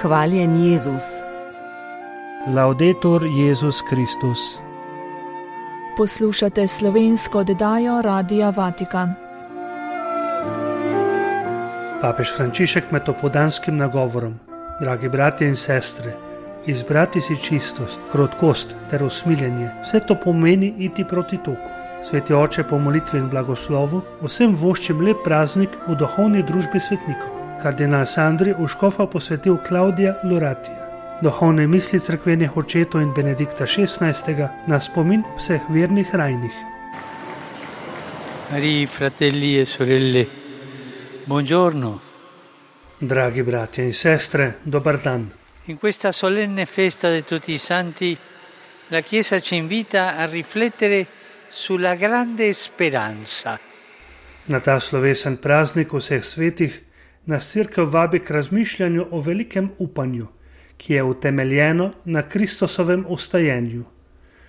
Hvaljen Jezus. Laudetur Jezus Kristus. Poslušate slovensko oddajo Radia Vatikan. Papež Frančišek med opoldanskim nagovorom: Dragi bratje in sestre, izbrati si čistost, krotkost ter usmiljenje, vse to pomeni iti proti toku. Sveti oče, po molitvi in blagoslovu vsem voščim lep praznik v duhovni družbi svetnikov. Kardinal Sandri v škofa posvetil Claudia Loratija. Duhovne misli cerkvenih očetov in Benedikta XVI. Na spomin vseh vernih rajnih. Cari fratelli e sorelle, buongiorno. Dragi bratje in sestre, dobar dan. In questa solenne festa di tutti i santi, la Chiesa ci invita a riflettere sulla grande speranza. Na ta slovesen praznik vseh svetih nas Cerkev vabi k razmišljanju o velikem upanju, ki je utemeljeno na Kristusovem vstajenju.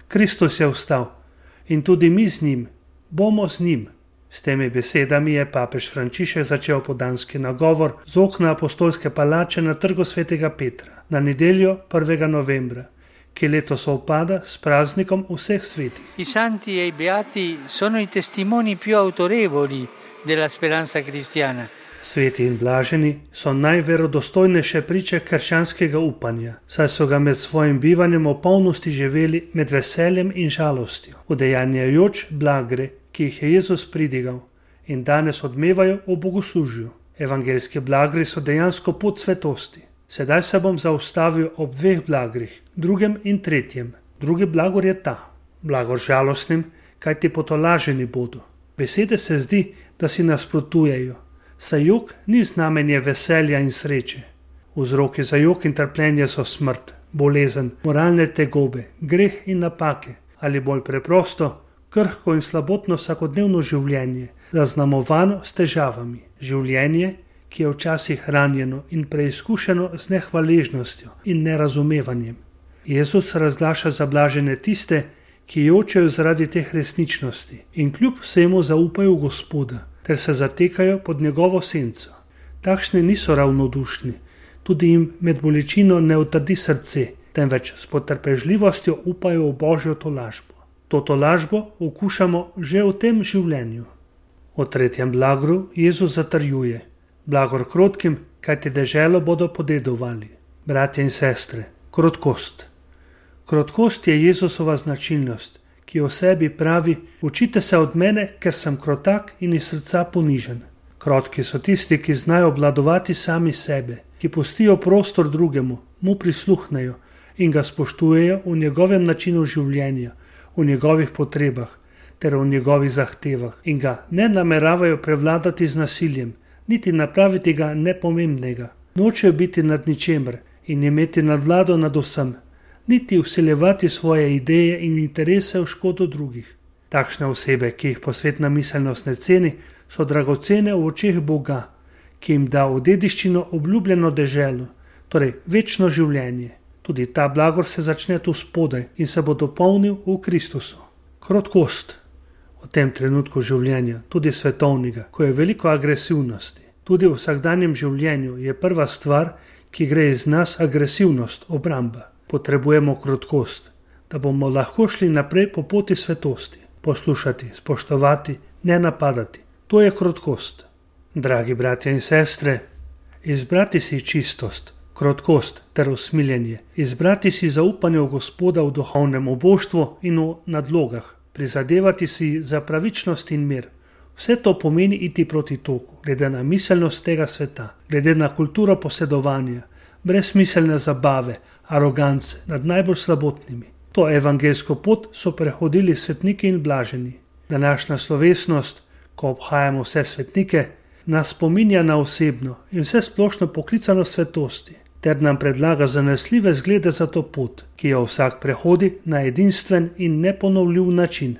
Kristus je vstal in tudi mi z njim, bomo z njim. S temi besedami je papež Frančišek začel opoldanski nagovor z okna apostolske palače na Trgu svetega Petra na nedeljo 1. novembra, ki letos sovpada s praznikom vseh svetih. I santi e i beati sono i testimoni più autorevoli della speranza cristiana. Sveti in blaženi so najverodostojnejše priče krščanskega upanja, saj so ga med svojim bivanjem v polnosti živeli med veseljem in žalostjo, udejanjajoč blagre, ki jih je Jezus pridigal in danes odmevajo v bogoslužju. Evangeljski blagri so dejansko pot svetosti. Sedaj se bom zaustavil ob dveh blagrih, drugem in tretjem. Drugi blagor je ta, blagor žalostnim, kajti potolaženi bodo. Besede se zdi, da si nasprotujejo, saj jok ni znamenje veselja in sreče. Vzroki za jok in trpljenje so smrt, bolezen, moralne tegobe, greh in napake, ali bolj preprosto, krhko in slabotno vsakodnevno življenje, zaznamovano s težavami. Življenje, ki je včasih ranjeno in preizkušeno z nehvaležnostjo in nerazumevanjem. Jezus razglaša za blažene tiste, ki jočejo zaradi teh resničnosti in kljub vsemu zaupajo v Gospoda ter se zatekajo pod njegovo senco. Takšni niso ravnodušni, tudi jim med bolečino ne utrdi srce, temveč s potrpežljivostjo upajo v Božjo tolažbo. To tolažbo okušamo že v tem življenju. O tretjem blagru Jezus zatrjuje: blagor krotkim, kajti deželo bodo podedovali. Bratje in sestre, krotkost. Krotkost je Jezusova značilnost, ki o sebi pravi: učite se od mene, ker sem krotak in iz srca ponižen. Krotki so tisti, ki znajo obvladovati sami sebe, ki pustijo prostor drugemu, mu prisluhnejo in ga spoštujejo v njegovem načinu življenja, v njegovih potrebah ter v njegovih zahtevah in ga ne nameravajo prevladati z nasiljem, niti napraviti ga nepomembnega. Nočejo biti nad ničemer in imeti nadvlado nad vsem, niti vsiljevati svoje ideje in interese v škodo drugih. Takšne osebe, ki jih posvetna miselnost ne ceni, so dragocene v očeh Boga, ki jim da v dediščino obljubljeno deželo, torej večno življenje. Tudi ta blagor se začne tu spodaj in se bo dopolnil v Kristusu. Krotkost. V tem trenutku življenja, tudi svetovnega, ko je veliko agresivnosti, tudi v vsakdanjem življenju je prva stvar, ki gre iz nas, agresivnost, obramba. Potrebujemo krotkost, da bomo lahko šli naprej po poti svetosti, poslušati, spoštovati, ne napadati. To je krotkost. Dragi bratje in sestre, izbrati si čistost, krotkost ter usmiljenje, izbrati si zaupanje v Gospoda v duhovnem oboštvu in v nadlogah, prizadevati si za pravičnost in mir. Vse to pomeni iti proti toku, glede na miselnost tega sveta, glede na kulturo posedovanja, brezsmiselne zabave, arogance nad najbolj slabotnimi. To evangeljsko pot so prehodili svetniki in blaženi. Današnja slovesnost, ko obhajamo vse svetnike, nas spominja na osebno in vse splošno poklicano svetosti, ter nam predlaga zanesljive zglede za to pot, ki jo vsak prehodi na edinstven in neponovljiv način.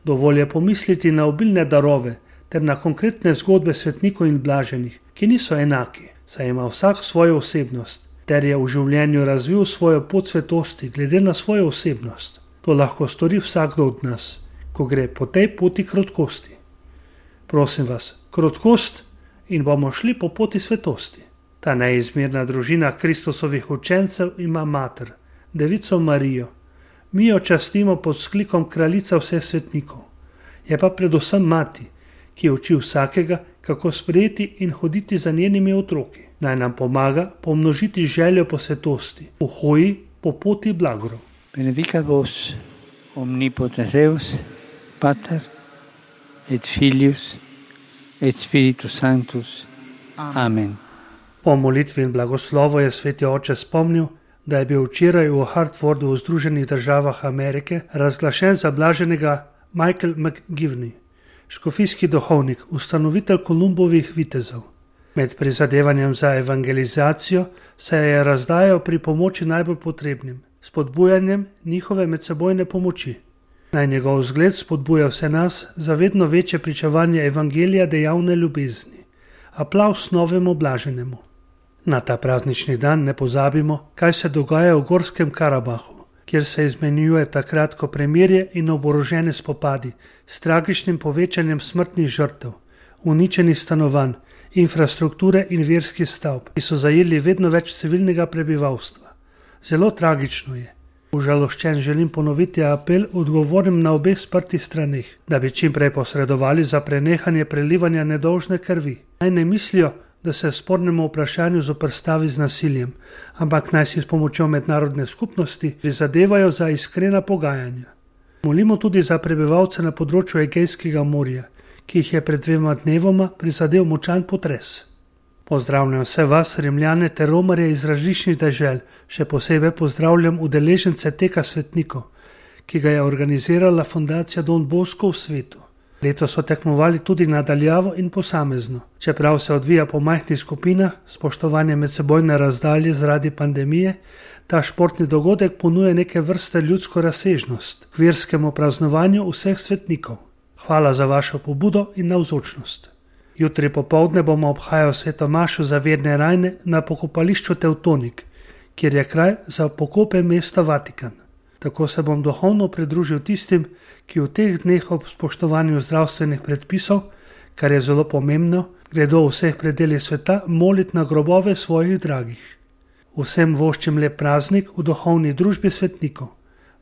Dovolj je pomisliti na obilne darove ter na konkretne zgodbe svetnikov in blaženih, ki niso enaki, saj ima vsak svojo osebnost, ter je v življenju razvil svojo pot svetosti glede na svojo osebnost. To lahko stori vsakdo od nas, ko gre po tej poti krotkosti. Prosim vas, krotkost in bomo šli po poti svetosti. Ta neizmerna družina Kristusovih učencev ima mater, Devico Marijo. Mi jo častimo pod vzklikom kraljica vseh svetnikov. Je pa predvsem mati, ki uči vsakega, kako sprejeti in hoditi za njenimi otroki. Naj nam pomaga pomnožiti željo po svetosti, v hoji po poti blagorov. Benedicat vos omnipotens Deus, Pater et Filius et Spiritus Sanctus. Amen. Po molitvi in blagoslovu je sveti oče spomnil, da je bil včeraj v Hartfordu v Združenih državah Amerike razglašen za blaženega Michael McGivney, škofijski duhovnik, ustanovitelj Kolumbovih vitezov. Med prizadevanjem za evangelizacijo se je razdajal pri pomoči najbolj potrebnim, spodbujanjem njihove medsebojne pomoči. Naj njegov zgled spodbuja vse nas za vedno večje pričevanje evangelija dejavne ljubezni. Aplavz novemu blaženemu. Na ta praznični dan ne pozabimo, kaj se dogaja v Gorskem Karabahu, kjer se izmenjuje takratko premirje in oborožene spopadi s tragičnim povečanjem smrtnih žrtev, uničenih stanovanj, infrastrukture in verskih stavb, ki so zajeli vedno več civilnega prebivalstva. Zelo tragično je. Užaloščen želim ponoviti apel odgovornim na obeh sprtih straneh, da bi čim prej posredovali za prenehanje prelivanja nedolžne krvi. Naj ne mislijo, da se spornemu vprašanju zoperstavi z nasiljem, ampak naj si s pomočjo mednarodne skupnosti prizadevajo za iskrena pogajanja. Molimo tudi za prebivalce na področju Egejskega morja, ki jih je pred 2 dnevoma prizadel močan potres. Pozdravljam vse vas, Rimljane ter romarje iz različnih dežel, še posebej pozdravljam udeležence teka svetnikov, ki ga je organizirala fundacija Don Bosco v svetu. Letos so tekmovali tudi nadaljavo in posamezno. Čeprav se odvija po majhnih skupinah, spoštovanje medsebojne razdalje zaradi pandemije, ta športni dogodek ponuja neke vrste ljudsko razsežnost k verskemu praznovanju vseh svetnikov. Hvala za vašo pobudo in navzočnost. Jutri popoldne bomo obhajali sveto mašo za verne rajne na pokopališču Tevtonik, kjer je kraj za pokope mesta Vatikan. Tako se bom duhovno pridružil tistim, ki v teh dneh ob spoštovanju zdravstvenih predpisov, kar je zelo pomembno, gredo v vseh predelih sveta moliti na grobove svojih dragih. Vsem voščim lep praznik v duhovni družbi svetnikov.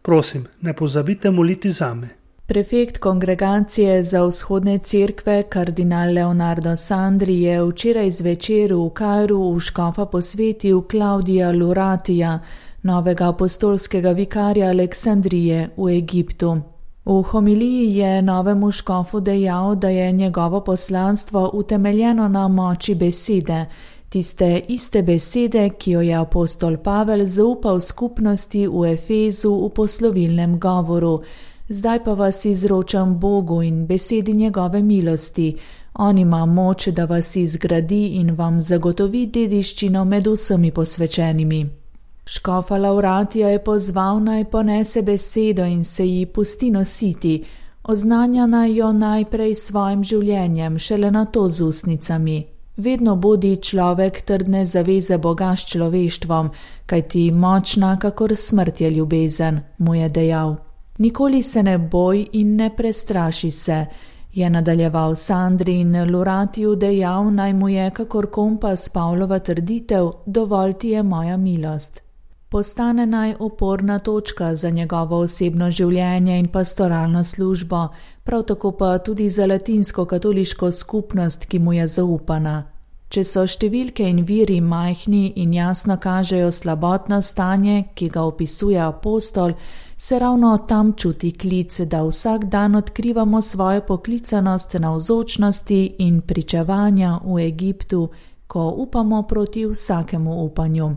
Prosim, ne pozabite moliti zame. Prefekt kongregacije za vzhodne cerkve, kardinal Leonardo Sandri, je včeraj zvečer v Kairu v škofa posvetil Claudia Luratija, novega apostolskega vikarja Aleksandrije v Egiptu. V homiliji je novemu škofu dejal, da je njegovo poslanstvo utemeljeno na moči besede, tiste iste besede, ki jo je apostol Pavel zaupal skupnosti v Efezu v poslovilnem govoru. Zdaj pa vas izročam Bogu in besedi njegove milosti. On ima moč, da vas izgradi in vam zagotovi dediščino med vsemi posvečenimi. Škofa Lauratija je pozval naj ponese besedo in se ji pusti nositi, oznanja naj jo najprej s svojim življenjem, šele nato z ustnicami. Vedno bodi človek trdne zaveze Boga s človeštvom, kajti močna kakor smrt je ljubezen, mu je dejal. Nikoli se ne boj in ne prestraši se, je nadaljeval Sandri in Luratiju dejal, naj mu je kakor kompas Pavlova trditev, dovolj ti je moja milost. Postane naj oporna točka za njegovo osebno življenje in pastoralno službo, prav tako pa tudi za latinsko-katoliško skupnost, ki mu je zaupana. Če so številke in viri majhni in jasno kažejo slabotno stanje, ki ga opisuje apostol, se ravno tam čuti klic, da vsak dan odkrivamo svojo poklicanost navzočnosti in pričevanja v Egiptu, ko upamo proti vsakemu upanju.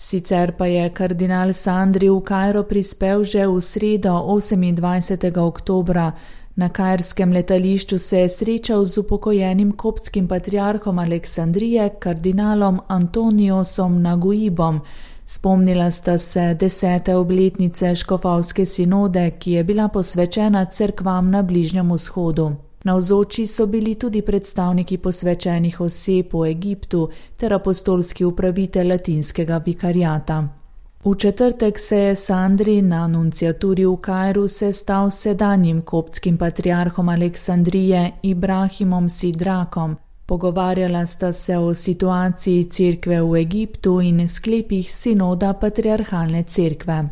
Sicer pa je kardinal Sandri v Kairo prispel že v sredo 28. oktobra. Na kairskem letališču se je srečal z upokojenim koptskim patriarhom Aleksandrije, kardinalom Antoniosom Naguibom. Spomnila sta se 10. obletnice škofovske sinode, ki je bila posvečena cerkvam na Bližnjem vzhodu. Navzoči so bili tudi predstavniki posvečenih oseb v Egiptu ter apostolski upravitelj latinskega vikariata. V četrtek se je Sandri na nunciaturi v Kairu sestal s sedanjim koptskim patriarhom Aleksandrije Ibrahimom Sidrakom. Pogovarjala sta se o situaciji cerkve v Egiptu in sklepih sinoda patriarhalne cerkve.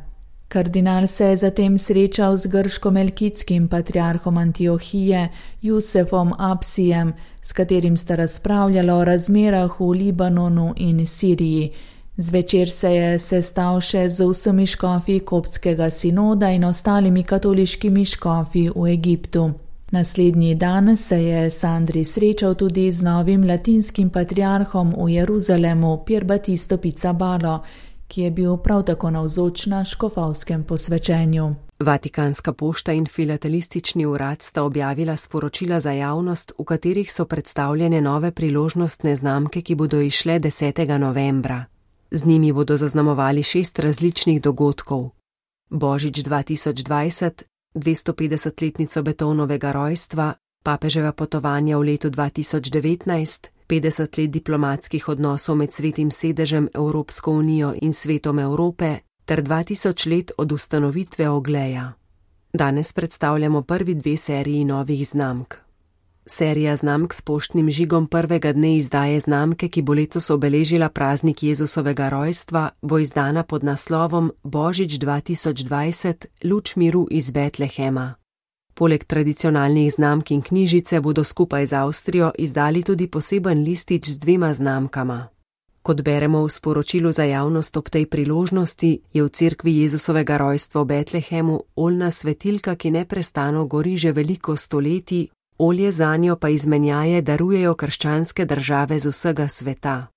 Kardinal se je zatem srečal z grško-melkitskim patriarhom Antiohije, Jusefom Apsijem, s katerim sta razpravljala o razmerah v Libanonu in Siriji. Zvečer se je sestal še z vsemi škofi koptskega sinoda in ostalimi katoliškimi škofi v Egiptu. Naslednji dan se je Sandri srečal tudi z novim latinskim patriarhom v Jeruzalemu, Pier Battisto Pizzabalo, ki je bil prav tako navzoč na škofovskem posvečenju. Vatikanska pošta in filatelistični urad sta objavila sporočila za javnost, v katerih so predstavljene nove priložnostne znamke, ki bodo izšle 10. novembra. Z njimi bodo zaznamovali 6 različnih dogodkov. Božič 2020, 250-letnico Beethovenovega rojstva, papeževa potovanja v letu 2019, 50 let diplomatskih odnosov med Svetim sedežem, Evropsko unijo in Svetom Evrope ter 2000 let od ustanovitve Ogleja. Danes predstavljamo prvi 2 seriji novih znamk. Serija znamk s poštnim žigom prvega dne izdaje znamke, ki bo letos obeležila praznik Jezusovega rojstva, bo izdana pod naslovom Božič 2020, luč miru iz Betlehema. Poleg tradicionalnih znamk in knjižice bodo skupaj z Avstrijo izdali tudi poseben listič z 2 znamkama. Kot beremo v sporočilu za javnost ob tej priložnosti, je v cerkvi Jezusovega rojstva v Betlehemu oljna svetilka, ki neprestano gori že veliko stoletij, olje zanjo pa izmenjaje darujejo krščanske države z vsega sveta.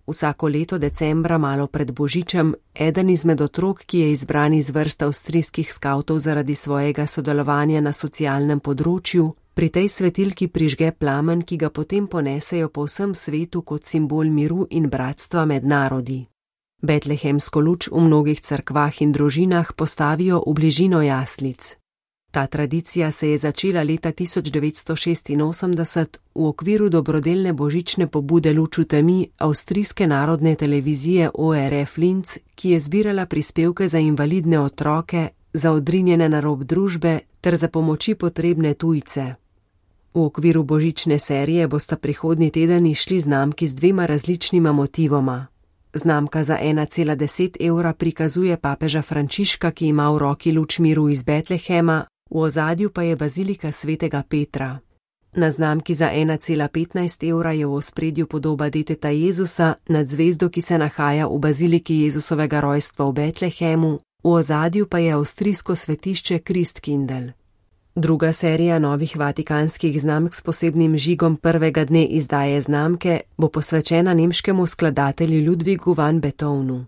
Vsako leto decembra, malo pred Božičem, eden izmed otrok, ki je izbran iz vrst avstrijskih skavtov zaradi svojega sodelovanja na socialnem področju, pri tej svetilki prižge plamen, ki ga potem ponesejo po vsem svetu kot simbol miru in bratstva med narodi. Betlehemsko luč v mnogih cerkvah in družinah postavijo v bližino jaslic. Ta tradicija se je začela leta 1986 v okviru dobrodelne božične pobude Luč v temi avstrijske narodne televizije ORF Linz, ki je zbirala prispevke za invalidne otroke, za odrinjene na rob družbe ter za pomoči potrebne tujce. V okviru božične serije bosta prihodnji teden išli znamki z 2 različnima motivoma. Znamka za 1,10 evra prikazuje papeža Frančiška, ki ima v roki luč miru iz Betlehema, v ozadju pa je bazilika svetega Petra. Na znamki za 1,15 evra je v ospredju podoba deteta Jezusa nad zvezdo, ki se nahaja v baziliki Jezusovega rojstva v Betlehemu, v ozadju pa je avstrijsko svetišče Christkindl. Druga serija novih vatikanskih znamk s posebnim žigom prvega dne izdaje znamke bo posvečena nemškemu skladatelju Ludwigu van Beethovenu.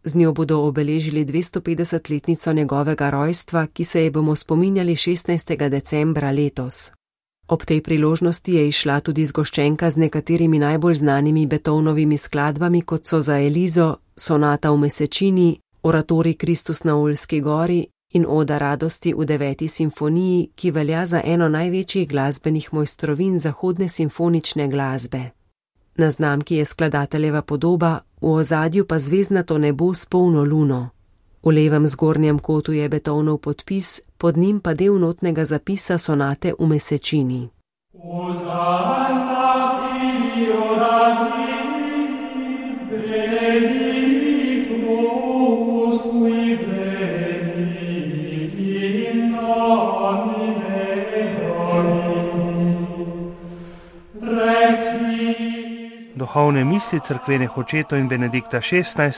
Z njo bodo obeležili 250-letnico njegovega rojstva, ki se je bomo spominjali 16. decembra letos. Ob tej priložnosti je izšla tudi zgoščenka z nekaterimi najbolj znanimi Beethovenovimi skladbami, kot so Za Elizo, Sonata v Mesečini, Oratorij Kristus na Oljski gori in Oda radosti v 9. simfoniji, ki velja za eno največjih glasbenih mojstrovin zahodne simfonične glasbe. Na znamki je skladateljeva podoba, v ozadju pa zvezdnato nebo s polno luno. V levem zgornjem kotu je Beethovenov podpis, pod njim pa del notnega zapisa Sonate v Mesečini. Duhovne misli cerkvenih očetov in Benedikta XVI.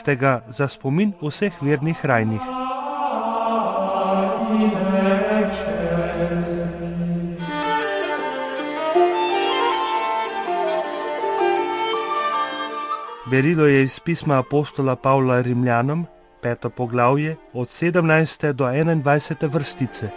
Za spomin vseh vernih rajnih. Berilo je iz pisma apostola Pavla Rimljanom, 5. poglavje, od 17. do 21. vrstice.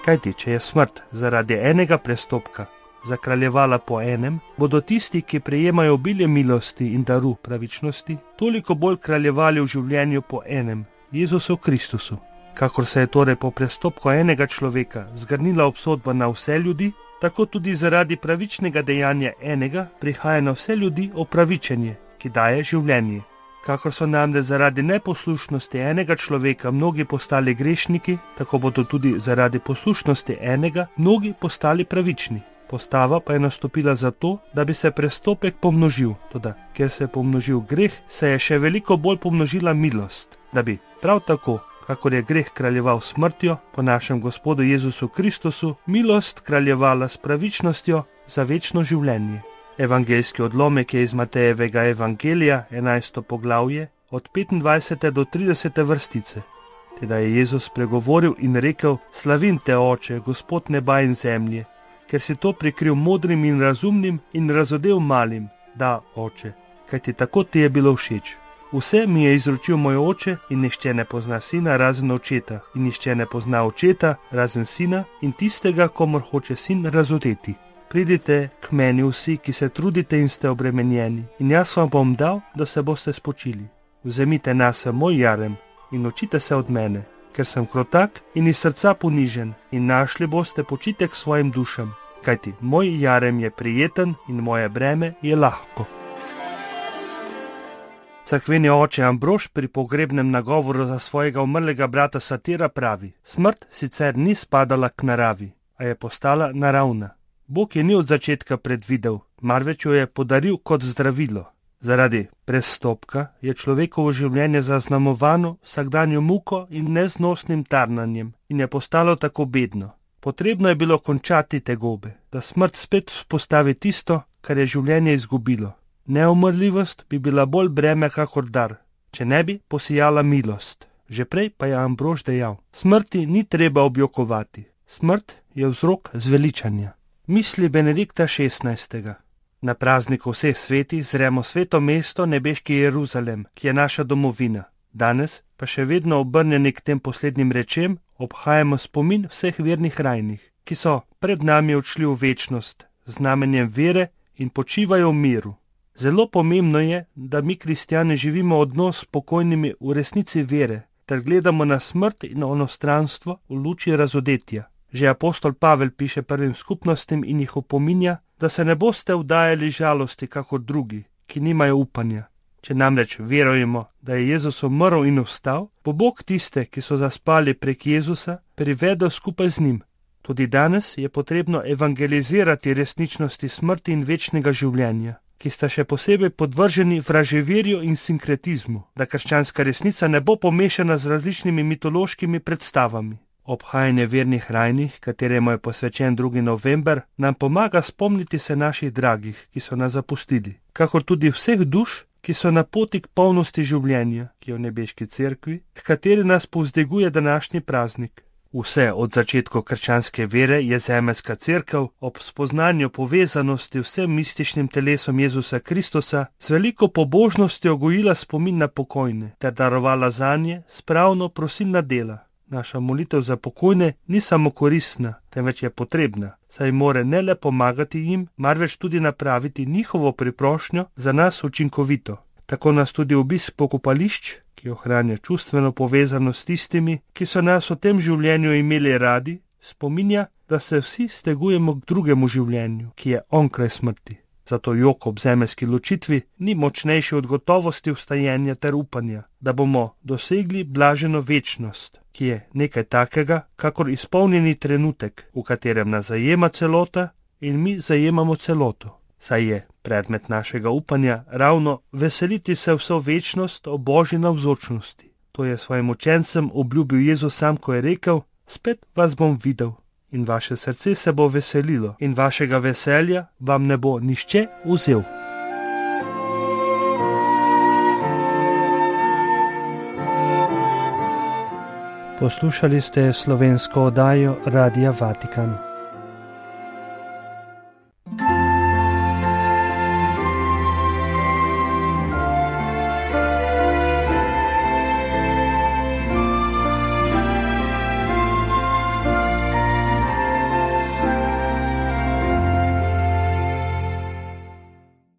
Kajti, če je smrt zaradi enega prestopka zakraljevala po enem, bodo tisti, ki prejemajo obilje milosti in daru pravičnosti, toliko bolj kraljevali v življenju po enem, Jezusu Kristusu. Kakor se je torej po prestopku enega človeka zgrnila obsodba na vse ljudi, tako tudi zaradi pravičnega dejanja enega prihaja na vse ljudi opravičenje, ki daje življenje. Kakor so namreč zaradi neposlušnosti enega človeka mnogi postali grešniki, tako bodo tudi zaradi poslušnosti enega mnogi postali pravični. Postava pa je nastopila zato, da bi se prestopek pomnožil. Toda, ker se je pomnožil greh, se je še veliko bolj pomnožila milost, da bi prav tako, kakor je greh kraljeval smrtjo, po našem Gospodu Jezusu Kristusu, milost kraljevala s pravičnostjo za večno življenje. Evangeljski odlomek je iz Matejevega evangelija, 11. poglavje, od 25. do 30. vrstice. Teda je Jezus pregovoril in rekel: Slavim te, Oče, Gospod neba in zemlje, ker si to prikril modrim in razumnim in razodel malim. Da, Oče, kajti tako ti je bilo všeč. Vse mi je izročil moj Oče in nihče ne pozna Sina razen Očeta in nihče ne pozna Očeta razen Sina in tistega, komur hoče Sin razodeti. Pridite k meni vsi, ki se trudite in ste obremenjeni, in jaz vam bom dal, da se boste spočili. Vzemite nase moj jarem in učite se od mene, ker sem krotak in iz srca ponižen, in našli boste počitek svojim dušam, kajti moj jarem je prijeten in moje breme je lahko. Cerkveni oče Ambrož pri pogrebnem nagovoru za svojega umrlega brata Satira pravi: Smrt sicer ni spadala k naravi, a je postala naravna. Bog je ni od začetka predvidel, marveč jo je podaril kot zdravilo. Zaradi prestopka je človekovo življenje zaznamovano vsakdanjo muko in neznosnim tarnanjem in je postalo tako bedno. Potrebno je bilo končati tegobe, da smrt spet vzpostavi tisto, kar je življenje izgubilo. Neumrljivost bi bila bolj breme kakor dar, če ne bi posijala milost. Že prej pa je Ambrož dejal: Smrti ni treba objokovati, smrt je vzrok zveličanja. Misli Benedikta XVI. Na prazniku vseh svetih zremo sveto mesto, nebeški Jeruzalem, ki je naša domovina. Danes pa še vedno obrnjeni k tem poslednjim rečem obhajamo spomin vseh vernih rajnih, ki so pred nami odšli v večnost z znamenjem vere in počivajo v miru. Zelo pomembno je, da mi kristjani živimo odnos s pokojnimi v resnici vere, ter gledamo na smrt in onostranstvo v luči razodetja. Že apostol Pavel piše prvim skupnostim in jih opominja, da se ne boste vdajali žalosti kakor drugi, ki nimajo upanja. Če namreč verujemo, da je Jezus umrl in vstal, bo Bog tiste, ki so zaspali prek Jezusa, privedel skupaj z njim. Tudi danes je potrebno evangelizirati resničnosti smrti in večnega življenja, ki sta še posebej podvrženi vraževerju in sinkretizmu, da krščanska resnica ne bo pomešana z različnimi mitološkimi predstavami. Obhajanje vernih rajnih, kateremu je posvečen 2. november, nam pomaga spomniti se naših dragih, ki so nas zapustili, kakor tudi vseh duš, ki so na poti k polnosti življenja, ki je v nebeški cerkvi, h kateri nas povzdiguje današnji praznik. Vse od začetkov krščanske vere je zemeljska cerkev ob spoznanju povezanosti vsem mističnim telesom Jezusa Kristusa z veliko pobožnostjo gojila spomin na pokojne ter darovala zanje spravno prosilna dela. Naša molitev za pokojne ni samo koristna, temveč je potrebna, saj more ne le pomagati jim, marveč tudi napraviti njihovo priprošnjo za nas učinkovito. Tako nas tudi obisk pokopališč, ki ohranja čustveno povezanost s tistimi, ki so nas v tem življenju imeli radi, spominja, da se vsi stegujemo k drugemu življenju, ki je onkraj smrti. Zato jok ob zemeljski ločitvi ni močnejši od gotovosti vstajenja ter upanja, da bomo dosegli blaženo večnost, ki je nekaj takega, kakor izpolnjeni trenutek, v katerem nas zajema celota in mi zajemamo celoto. Saj je predmet našega upanja ravno veseliti se vso večnost o Božji navzočnosti. To je svojim učencem obljubil Jezus sam, ko je rekel: Spet vas bom videl. In vaše srce se bo veselilo in vašega veselja vam ne bo nihče vzel. Poslušali ste slovensko oddajo Radia Vatikan.